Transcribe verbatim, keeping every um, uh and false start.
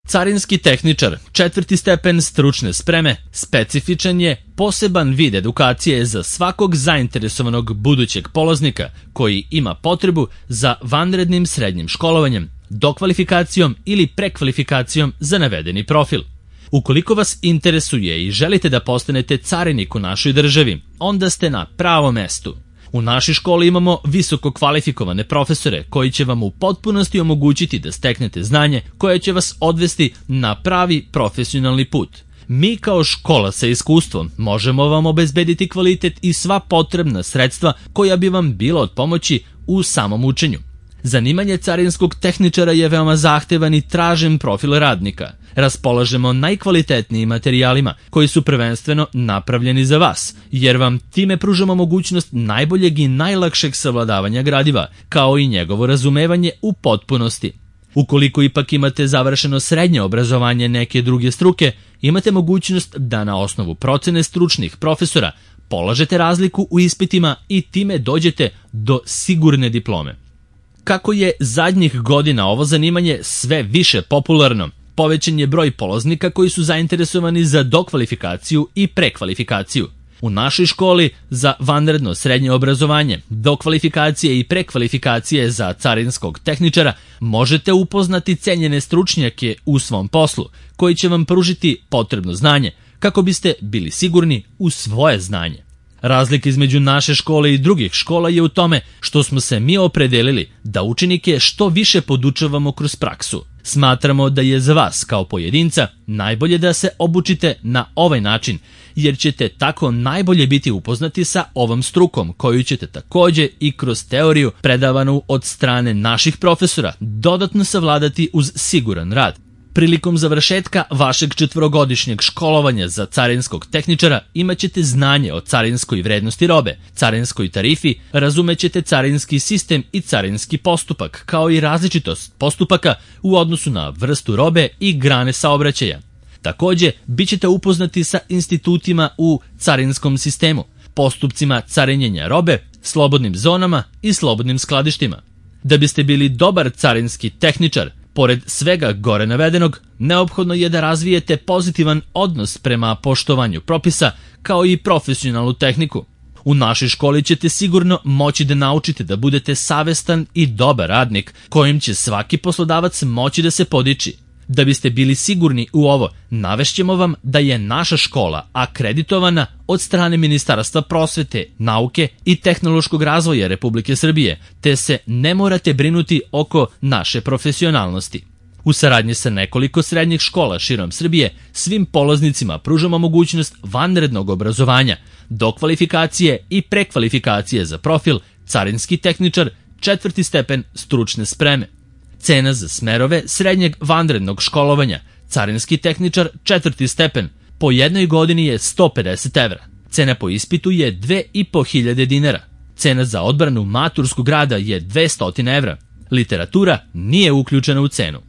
Carinski tehničar, četvrti stepen stručne spreme, specifičan je poseban vid edukacije za svakog zainteresovanog budućeg polaznika koji ima potrebu za vanrednim srednjim školovanjem, dokvalifikacijom ili prekvalifikacijom za navedeni profil. Ukoliko vas interesuje i želite da postanete carinik u našoj državi, onda ste na pravom mestu. U našoj školi imamo visoko kvalifikovane profesore koji će vam u potpunosti omogućiti da steknete znanje koje će vas odvesti na pravi profesionalni put. Mi kao škola sa iskustvom možemo vam obezbediti kvalitet i sva potrebna sredstva koja bi vam bila od pomoći u samom učenju. Zanimanje carinskog tehničara je veoma zahtevan i tražen profil radnika. Raspolažemo najkvalitetnijim materijalima koji su prvenstveno napravljeni za vas, jer vam time pružamo mogućnost najboljeg i najlakšeg savladavanja gradiva, kao i njegovo razumevanje u potpunosti. Ukoliko ipak imate završeno srednje obrazovanje neke druge struke, imate mogućnost da na osnovu procene stručnih profesora polažete razliku u ispitima i time dođete do sigurne diplome. Kako je zadnjih godina ovo zanimanje sve više popularno, povećan je broj polaznika koji su zainteresovani za dokvalifikaciju i prekvalifikaciju. U našoj školi za vanredno srednje obrazovanje, dokvalifikacije i prekvalifikacije za carinskog tehničara možete upoznati cenjene stručnjake u svom poslu, koji će vam pružiti potrebno znanje kako biste bili sigurni u svoje znanje. Razlika između naše škole i drugih škola je u tome što smo se mi opredelili da učenike što više podučavamo kroz praksu. Smatramo da je za vas kao pojedinca najbolje da se obučite na ovaj način, jer ćete tako najbolje biti upoznati sa ovom strukom koju ćete takođe i kroz teoriju predavanu od strane naših profesora dodatno savladati uz siguran rad. Prilikom završetka vašeg četvorogodišnjeg školovanja za carinskog tehničara imaćete znanje o carinskoj vrednosti robe, carinskoj tarifi, razumećete carinski sistem i carinski postupak, kao i različitost postupaka u odnosu na vrstu robe i grane saobraćaja. Takođe, bit ćete upoznati sa institutima u carinskom sistemu, postupcima carinjenja robe, slobodnim zonama i slobodnim skladištima. Da biste bili dobar carinski tehničar, pored svega gore navedenog, neophodno je da razvijete pozitivan odnos prema poštovanju propisa kao i profesionalnu tehniku. U našoj školi ćete sigurno moći da naučite da budete savestan i dobar radnik kojim će svaki poslodavac moći da se podiči. Da biste bili sigurni u ovo, navešćemo vam da je naša škola akreditovana od strane Ministarstva prosvete, nauke i tehnološkog razvoja Republike Srbije, te se ne morate brinuti oko naše profesionalnosti. U saradnji sa nekoliko srednjih škola širom Srbije, svim polaznicima pružamo mogućnost vanrednog obrazovanja, dokvalifikacije i prekvalifikacije za profil carinski tehničar, četvrti stepen stručne spreme. Cena za smerove srednjeg vanrednog školovanja, carinski tehničar, četvrti stepen, po jednoj godini je sto pedeset evra. Cena po ispitu je dve i po hiljade dinara. Cena za odbranu maturskog rada je dvesta evra. Literatura nije uključena u cenu.